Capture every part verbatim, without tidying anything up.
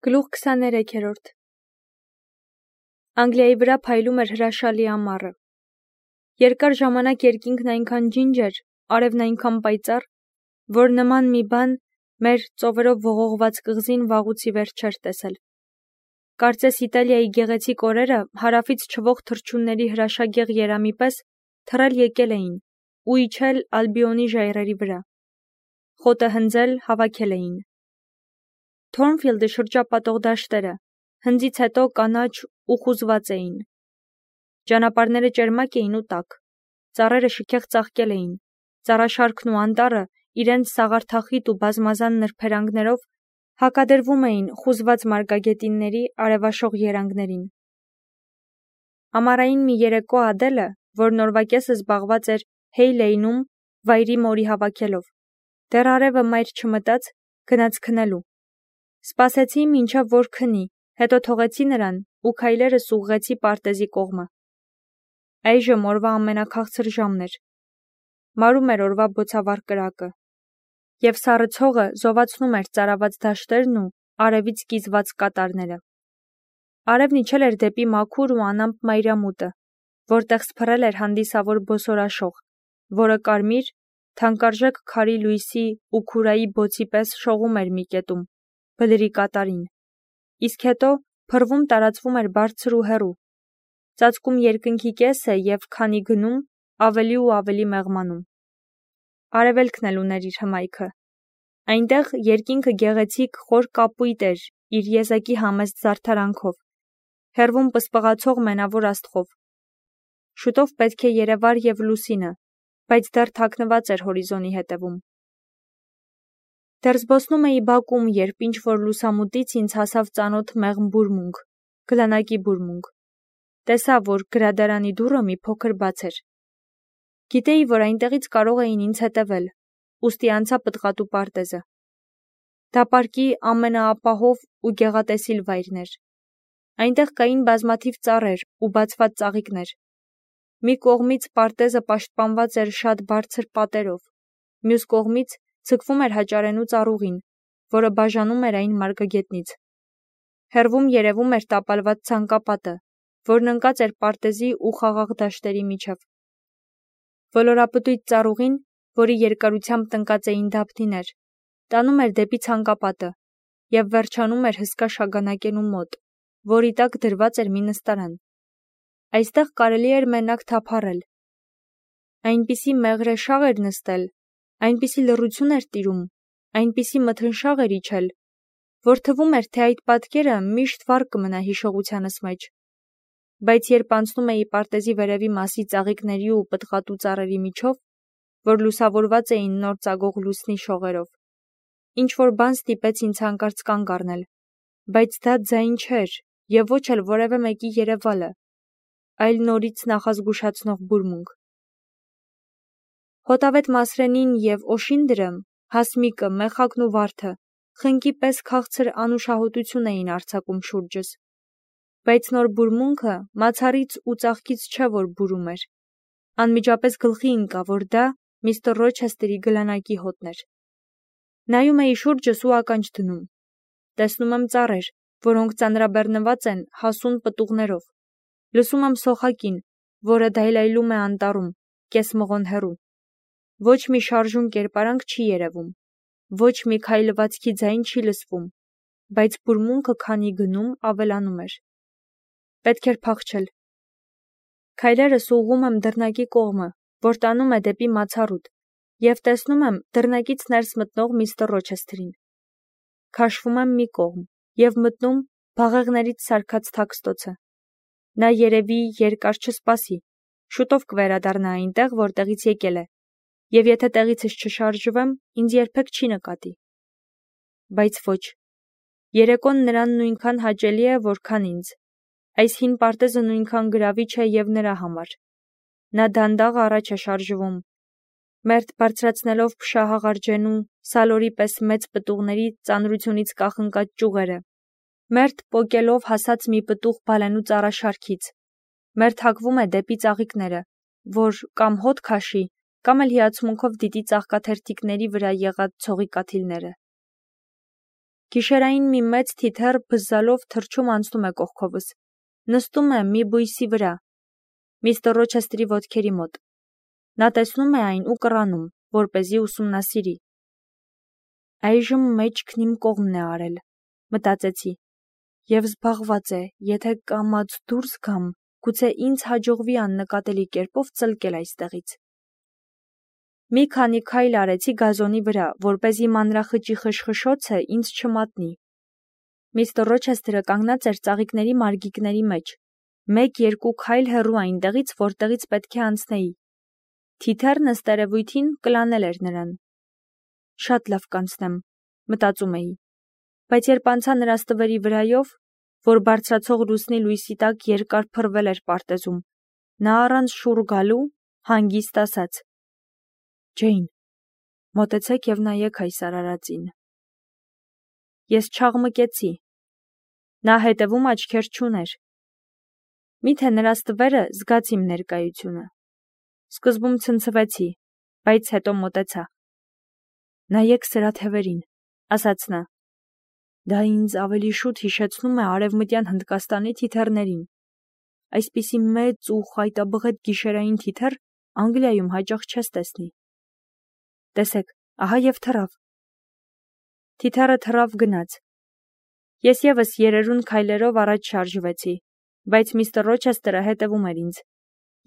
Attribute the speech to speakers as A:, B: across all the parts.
A: Գլուխ քսաներեքերորդ Անգլիայի վրա փայլում էր հրաշալի ամառը։ Երկար ժամանակ երկինքն այնքան ջինջ էր, արևն այնքան պայծառ, որ նման մի բան մեր ծովերով ողողված կղզին վաղուց ի վեր չէր տեսել։ Կարծես Իտալիայի գեղեցիկ օրերը հարավից չվող թռչունների հրաշագեղ երամի պես թռել եկել էին ու իջել Ալբիոնի ժայռերի վրա։ Խոտը հնձել հավաքել էին։ Թորնֆիլդը շրջապատող դաշտերը հնձից հետո կանաչ ու խուզված էին։ Ճանապարհները ճերմակ էին ու տաք, ծառերը շքեղ ծաղկել էին, ծառաշարքն ու անտառը իրենց սաղարթախիտ ու բազմազան նրբերանգներով հակադրվում էին խուզված մարգագետինների արևաշող երանգներին։ Ամառային մի երեկո Ադելը, որ նորվա կեսը զբաղված էր Հեյ Լեյնում վայրի մորի հավաքելով, դեռ արևը մայր չմտած, գնաց քնելու։ Սպասեցի մինչև որ քնի, հետո թողեցի նրան ու քայլերս ուղղեցի պարտեզի կողմը։ Այժմ օրվա ամենաքաղցր ժամն էր։ Մարում էր օրվա բոցավառ կրակը, և սառը ցողը զովացնում էր ծարաված դաշտերն ու արևից կիզված կատարները։ Արևն իջել էր դեպի մաքուր ու անամպ մայրամուտը, որտեղ սփռել էր հանդիսավոր բոսորաշող, որը կարմիր, թանկարժեք քարի լույսի ու քուրայի բոցի պես շողում էր մի կետում, բլրի կատարին, իսկ հետո փռվում տարածվում էր բարձր ու հեռու, ծածկում երկնքի կեսը և քանի գնում, ավելի ու ավելի մեղմանում։ Արևելքն էլ ուներ իր հմայքը։ Այնտեղ երկինքը գեղեցիկ խոր կապույտ էր իր եզակի համեստ զարդարանքով, հեռվում պսպղացող մենավոր աստղով։ Շուտով պետք է երևար և լուսինը, բայց դեռ թաքնված էր հորիզոնի հետևում։ Դեռ զբոսնում էի բակում, երբ ինչ-որ լուսամուտից ինձ հասավ ծանոթ մեղմ բուրմունք, գլանակի բուրմունք։ Տեսա, որ գրադարանի դուռը մի փոքր բաց էր։ Գիտեի, որ այնտեղից կարող էին ինձ հետևել, ուստի անցա պտղատու պարտեզը։ Դա պարկի ամենաապահով ու գեղատեսիլ վայրն էր։ Այնտեղ կային բազմաթիվ ծառեր ու բացված ծաղիկներ։ Մի կողմից պարտեզը պաշտպանված էր շատ բարձր պատերով, մյուս կողմից ձգվում էր հաճարենու ծառուղին, որը բաժանում էր այն մարգագետնից։ Հեռվում երևում էր տապալված ցանկապատը, որն ընկած էր պարտեզի ու խաղաղ դաշտերի միջև։ Ոլորապտույտ ծառուղին, որի երկարությամբ տնկած էին դափնիներ, տանում էր դեպի ցանկապատը և վերջանում էր հսկա շագանակենու մոտ, որի տակ դրված էր մի նստարան։ Այստեղ կարելի էր մենակ թափառել։ Այնպիսի մեղրաշաղ էր նստել, այնպիսի լռություն էր տիրում, այնպիսի մթնշաղ էր իջել, որ թվում էր, թե այդ պատկերը միշտ վառ կմնա հիշողությանս մեջ։ Բայց երբ անցնում էի պարտեզի վերևի մասի ծաղիկների ու պտղատու ծառերի միջով, որ լուսավորված էին նոր ծագող լուսնի շողերով, ինչ-որ բան ստիպեց ինձ հանկարծ կանգ առնել, բայց դա ձայն չէր և ոչ էլ որևէ մեկի երևալը, այլ նորից նախազգուշացնող բուրմունք։ Հոտավետ Մասրենին և Օշինդրը, Հասմիկը, Մեխակն ու Վարդը խնկի պես քաղցր անուշահոտություն էին արձակում շուրջս, բայց նոր բուրմունքը մացառից ու ծաղկից չէ, որ բուրում էր։ Անմիջապես գլխի ընկա, որ դա միստր Ռոչեսթերի գլանակի հոտն էր։ Նայում էի շուրջս ու ականջ դնում։ Տեսնում եմ ծառեր, որոնք ծանրաբեռնված են հասուն պտուղներով։ Լսում եմ սոխակին, որը դայլայլում է անտառում, կես մղոն հեռու։ Ոչ մի շարժուն կերպարանք չի երևում, ոչ մի քայլվածքի ձայն չի լսվում, բայց բուրմունքը քանի գնում, ավելանում էր։ Պետք էր փախչել։ Քայլերս ուղղում եմ դռնակի կողմը, որ տանում է դեպի մացառուտ, և տեսնում եմ դռնակից ներս մտնող միստր Ռոչեսթերին։ Քաշվում եմ մի կողմ և մտնում բաղեղներից սարքած թաքստոցը։ Նա երևի երկար չսպասի, շուտով կվերադառնա այնտեղ, որտեղից եկել է, և եթե տեղիցս չշարժվեմ, ինձ երբեք չի նկատի։ Բայց ոչ։ Երեկոն նրան նույնքան հաճելի է, որքան ինձ։ Այս հին պարտեզը նույնքան գրավիչ է և նրա համար։ Նա դանդաղ առաջ է շարժվում, մերթ բարձրացնելով փշահաղարջենու, սալորի պես մեծ պտուղների ծանրությունից կախնկած ճյուղերը, մերթ պոկելով հասած մի պտուղ բալենու ծառաշարքից, մերթ հակվում է դեպի ծաղիկները, որ կամ հոտ քաշի, կամ էլ հիացմունքով դիտի ծաղկաթերթիկների վրա եղած ցողի կաթիլները։ Գիշերային մի մեծ թիթեռ բզզալով թռչում անցնում է կողքովս, նստում է մի բույսի վրա, միստր Ռոչեստրի ոտքերի մոտ։ Նա տեսնում է այն ու կռանում, որպեսզի ուսումնասիրի։ Այժմ մեջքն իմ կողմն է արել, մտածեցի, և զբաղված է, եթե կամաց դուրս գամ, գուցե ինձ հաջողվի աննկատելի կերպով ծլկել այստեղից։ Մի քանի քայլ արեցի գազոնի վրա, որպեսզի մանրախճի խշխշոցը ինձ չմատնի։ Միստր Ռոչեստրը կանգնած էր ծաղիկների մարգիկների մեջ, մեկ-երկու քայլ հեռու այնտեղից, որտեղից պետք է անցնեի։ Թիթեռն ըստ երևույթին կլանել էր նրան։ Շատ լավ կանցնեմ, մտածում էի, բայց երբ անցա նրա ստվերի վրայով, որ բարձրացող լուսնի լույսի տակ երկար փռվել էր պարտեզում, նա առանց շուռ գալու հանգիստ ասաց. «Ջեյն, մոտեցեք և նայեք այս արարածին»։ Ես չաղմկեցի։ Նա հետևում աչքեր չուներ։ Միթե նրա ստվերը զգաց իմ ներկայությունը։ Սկզբում ցնցվեցի, բայց հետո մոտեցա։ «Նայեք սրա թևերին», ասաց նա։ Դա ինձ ավելի շուտ հիշեցնում է Արևմտյան Հնդկաստանի թիթեռներին։ Այսպիսի մեծ ու խայտաբղետ գիշերային թիթեռ Անգլիայում հաճախ չես տեսնի։ Տեսեք, ահա և թռավ։ Թիթեռը թռավ գնաց։ Ես ևս երերուն քայլերով առաջ շարժվեցի, բայց միստր Ռոչեստրը հետևում էր ինձ,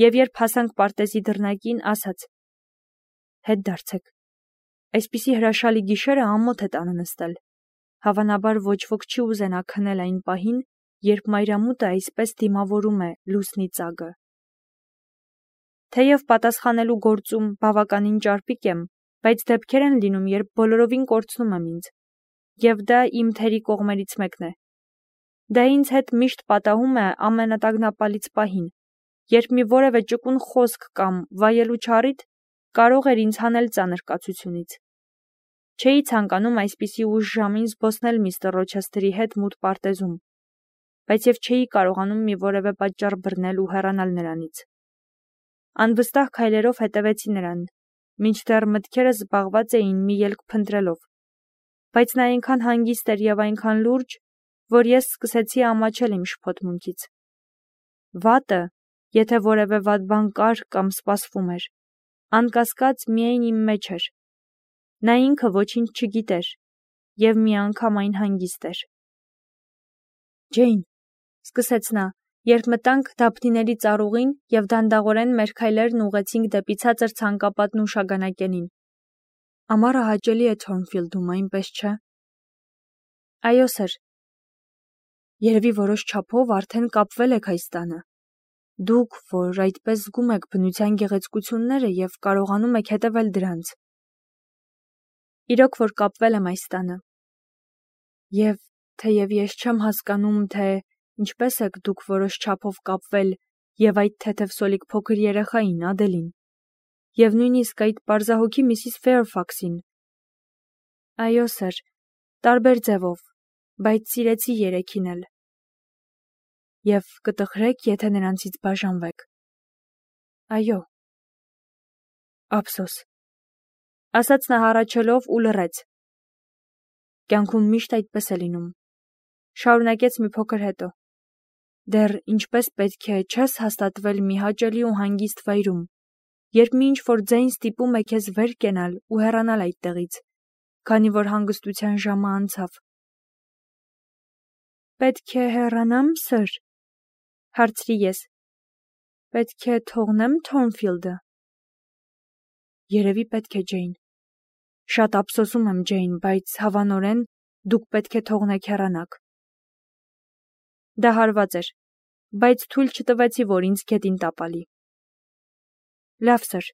A: և երբ հասանք պարտեզի դռնակին, ասաց. «Հետ դարձեք։ Այսպիսի հրաշալի գիշերը ամոթ է տանը նստել։ Հավանաբար ոչ ոք չի ուզենա քնել այն պահին, երբ մայրամուտը այսպես դիմավորում է լուսնի ծագը»։ Թեև պատասխանելու գործում բավականին ճարպիկ եմ, բայց դեպքեր են լինում, երբ բոլորովին կորցնում եմ ինձ, և դա իմ թերի կողմերից մեկն է։ Դա ինձ հետ միշտ պատահում է ամենատագնապալից պահին, երբ մի որևէ ճկուն խոսք կամ վայելու չառիթ կարող էր ինձ հանել ծանր կացությունից։ Չէի ցանկանում այսպիսի ուշ ժամին զբոսնել միստր Ռոչեստրի հետ մութ պարտեզում, բայց և չէի կարողանում մի որևէ պատճառ բռնել ու հեռանալ նրանից։ Անվստահ քայլերով հետևեցի նրան, մինչդեռ մտքերս զբաղված էին մի ելք փնտրելով, բայց նա այնքան հանգիստ էր և այնքան լուրջ, որ ես սկսեցի ամաչել իմ շփոթմունքից։ Վատը, եթե որևէ վատ բան կար կամ սպասվում էր, անկասկած միայն իմ մեջ էր։ Նա ինքը ոչինչ չգիտեր, և միանգամայն հանգիստ էր։ «Ջեյն», սկսեց նա, երբ մտանք դափնիների ծառուղին և դանդաղորեն մեր քայլերն ուղղեցինք դեպի ցածր ցանկապատն ու շագանակենին։ «Ամառը հաճելի է Թորնֆիլդում, այնպես չէ»։ Այո, սըր։ Երևի որոշ չափով արդեն կապվել եք այս տանը։ Դուք, որ այդպես զգում եք բնության գեղեցկությունները և կարողանում եք հետևել դրանց։ Իրոք որ կապվել եմ այս տանը։ Եվ թեև ես չեմ հասկանում, թե ինչպես եք դուք որոշ չափով կապվել և այդ թեթև սոլիկ փոքր երեխային, Ադելին, և նույնիսկ այդ պարզահոգի միսիս Ֆեյրֆաքսին։ Այո, սըր, տարբեր ձևով, բայց սիրեցի երեքին էլ։ Եվ կտխրեք, եթե նրանցից բաժանվեք։ Այո։ Ափսոս, ասաց նա հառաչելով ու լռեց։ Կյանքում միշտ այդպես է լինում, շարունակեց մի փոքր հետո։ Դեռ ինչպես պետք է չես հաստատվել մի հաճելի ու հանգիստ վայրում, երբ մի ինչ-որ ձայն ստիպում է քեզ վեր կենալ ու հեռանալ այդտեղից, քանի որ հանգստության ժամը անցավ։ Պետք է հեռանա՞մ, սըր, հարցրի ես։ Պետք է թողնե՞մ Թորնֆիլդը։ Երևի պետք է, Ջեյն։ Շատ ափսոսում եմ, Ջեյն, բայց հավանորեն դուք պետք է թողնեք հեռանաք։ Դա հարված էր, բայց թույլ չտվեցի, որ ինձ գետին տապալի։ Լավ, սըր։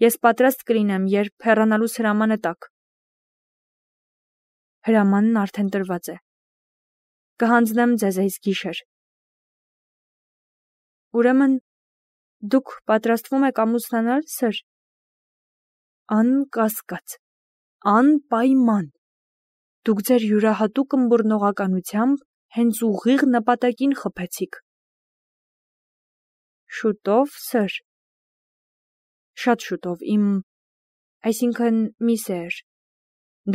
A: Ես պատրաստ կլինեմ, երբ հեռանալուս հրամանը տաք։ Հրամանն արդեն տրված է։ Կհանձնեմ ձեզ այս գիշեր։ Ուրեմն դուք պատրաստվում եք ամուսնանալ, սըր։ Անկասկած, անպայման։ Դուք ձեր յուրահատուկ ըմբռնողականությամբ հենց ուղիղ նպատակին խփեցիք։ Շուտո՞վ, սըր։ Շատ շուտով, իմ… Այսինքն՝ մի Սեյր։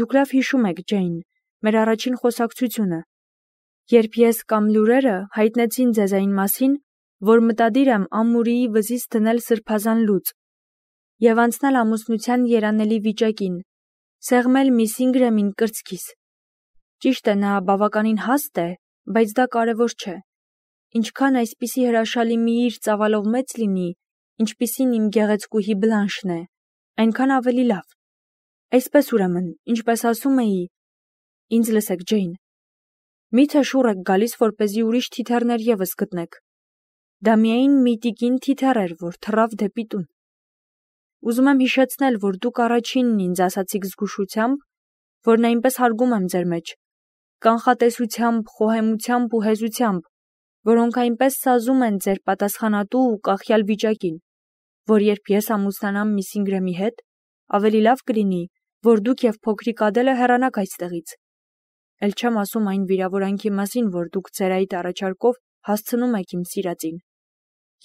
A: Դուք լավ հիշում եք, Ջեյն, մեր առաջին խոսակցությունը, երբ ես կամ լուրերը հայտնեցին ձեզ այն մասին, որ մտադիր եմ ամուրիի վզից դնել սրբազան լուծ և անցնել ամուսնության երանելի վիճակին, սեղմել միս Ինգրեմին կրծքիս։ Ճիշտ է, նա բավականին հաստ է, բայց դա կարևոր չէ։ Ինչքան այսպիսի հրաշալի մի իր ծավալով մեծ լինի, ինչպիսին իմ գեղեցկուհի Բլանշն է, այնքան ավելի լավ։ Այսպես ուրեմն, ինչպես ասում էի, ինձ լսեք, Ջեյն, մի՞թե շուռ եք գալիս, որպեսզի ուրիշ թիթեռներ ևս գտնեք։ Դա միայն մի տիկին թիթեռ էր, որ թռավ դեպի տուն։ Ուզում եմ հիշեցնել, որ դուք առաջինն ինձ ասացիք զգուշությամբ, որ այնպես հարգում եմ ձեր մեջ, կանխատեսությամբ, խոհեմությամբ ու հեզությամբ, որոնք այնպես սազում են ձեր պատասխանատու ու կախյալ վիճակին, որ երբ ես ամուսնանամ միս Ինգրեմի հետ, ավելի լավ կլինի, որ դուք և փոքրիկ Ադելը հեռանաք այստեղից։ Էլ չեմ ասում այն վիրավորանքի մասին, որ դուք ձեր այդ առաջարկով հասցնում եք իմ սիրածին։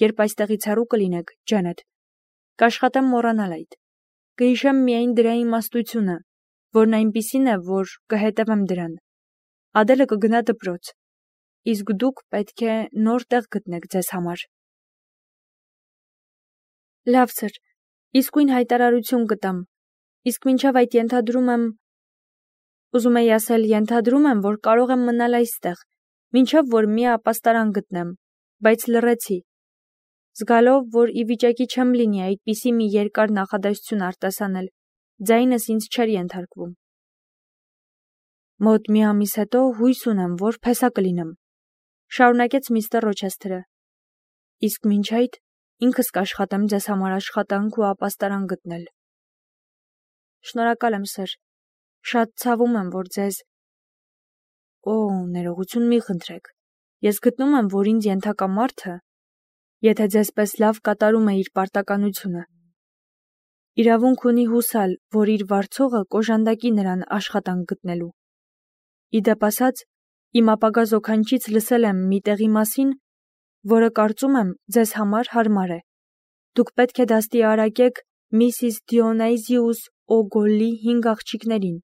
A: Երբ այստեղից հեռու կլինեք, Ջենեթ, կաշխատեմ մոռանալ այդ։ Կհիշեմ միայն դրա իմաստությունը, որն այնպիսին է, որ կհետևեմ դրան։ Ադելը կգնա դպրոց, իսկ դուք պետք է նոր տեղ գտնեք ձեզ համար։ Լավ, սըր, իսկույն հայտարարություն կտամ, իսկ մինչև այդ ենթադրում եմ, ուզում էի ասել, ենթադրում եմ, որ կարող եմ մնալ այստեղ, մինչև որ մի ապաստարան գտնեմ, բայց լռեցի, զգալով, որ ի վիճակի չեմ լինի այդպիսի մի երկար նախադասություն արտասանել, ձայնս ինձ չէր ենթարկվում։ Մոտ մի ամիս հետո հույս ունեմ, որ փեսա կլինեմ, շարունակեց միստր Ռոչեսթերը, իսկ մինչ այդ ինքս կաշխատեմ ձեզ համար աշխատանք ու ապաստարան գտնել։ Շնորհակալ եմ, սըր, շատ ցավում եմ, որ ձեզ… Օ, ներողություն մի խնդրեք, ես գտնում եմ, որ ինձ ենթակա մարդը, եթե ձեզպես լավ կատարում է իր պարտականությունը, իրավունք ունի հուսալ, որ իր վարձողը կոժանդակի նրան աշխատանք գտնելու։ Իդեպ ասած, իմ ապագա զոքանչից լսել եմ մի տեղի մասին, որը կարծում եմ ձեզ համար հարմար է։ Դուք պետք է դաստիարակեք Միսիս Դիոնայզիուս Օգոլլի հինգ աղջիկներին,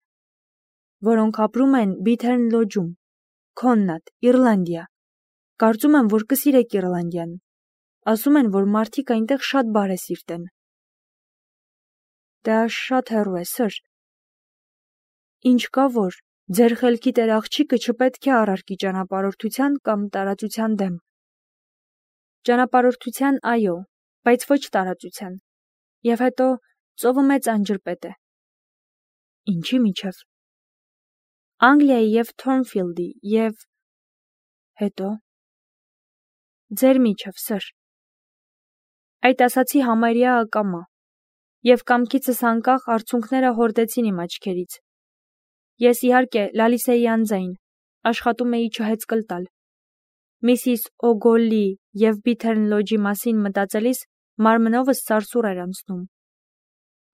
A: որոնք ապրում են Բիթերն Լոջում, Քոննատ, Իռլանդիա։ Կարծում եմ, որ կսիրեք Իռլանդիան։ Ասում են, որ մարդիկ այնտեղ շատ բարեսիրտ են։ Դա շատ հեռու է, սըր։ Ինչ կա որ, ձեր խելքի տեր աղջիկը չպետք է առարկի ճանապարհորդության կամ տարածության դեմ։ Ճանապարհորդության, այո, բայց ոչ տարածության։ Եվ հետո ծովը մեծ անջրպետ է։ Ինչի միջև։ Անգլիայի և Թորնֆիլդի և… հետո… ձեր միջև, սըր։ Այդ ասացի համարյա ակամա, և կամքիցս անկախ արցունքները հորդեցին իմ աչքերից։ Ես իհարկե լալիս էի անձայն, աշխատում էի չհեծկլ տալ։ Միսիս Օգոլլի և Բիթերն Լոջի մասին մտածելիս մարմնովս սարսուռ էր անցնում։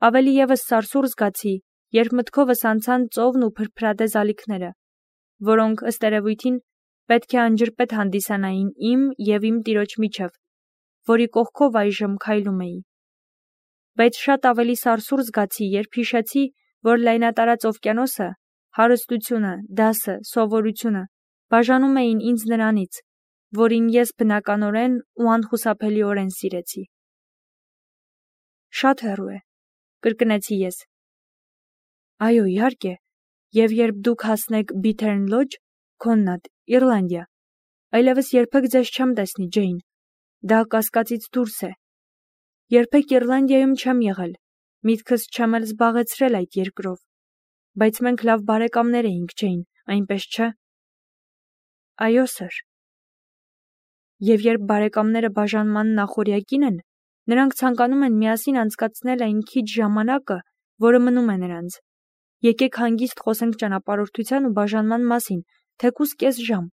A: Ավելի ևս սարսուռ զգացի, երբ մտքովս անցան ծովն ու փրփրադե զալիքները, որոնք, ըստ երևույթին, պետք է անջրպետ հանդիսանային իմ և իմ տիրոջ միջև, որի կողքով այժմ քայլում էի։ Բայց շատ ավելի սարսուռ զգացի, երբ հիշեցի, որ լայնատարած օվկիանոսը, հարստությունը, դասը, սովորությունը բաժանում էին ինձ նրանից, որին ես բնականորեն ու անխուսափելիորեն սիրեցի։ Շատ հեռու է, կրկնեցի ես։ Այո, իհարկե, և երբ դուք հասնեք Բիթերն Լոջ, Քոննատ, Իռլանդիա, այլևս երբեք ձեզ չեմ տեսնի, Ջեյն, դա կասկածից դուրս է։ Երբեք Իռլանդիայում չեմ եղել, միտքս չեմ էլ զբաղեցրել այդ երկրով, բայց մենք լավ բարեկամներ էինք, Ջեյն, այնպես չէ։ Այո, սըր։ Եվ երբ բարեկամները բաժանման նախօրյակին են, նրանք ցանկանում են միասին անցկացնել այն քիչ ժամանակը, որը մնում է նրանց։ Եկեք հանգիստ խոսենք ճանապարհորդության ու բաժանման մասին, թեկուզ կես ժամ,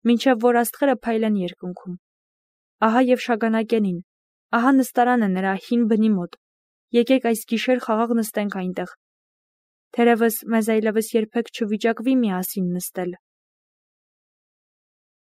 A: մինչև որ աստղերը փայլեն երկնքում։ Ահա և շագանակենին, ահա նստարանը նրա հին բնի մոտ։ Եկեք այս գիշեր խաղաղ նստենք այնտեղ։ Թերևս մեզ այլևս երբեք չվիճակվի միասին նստել։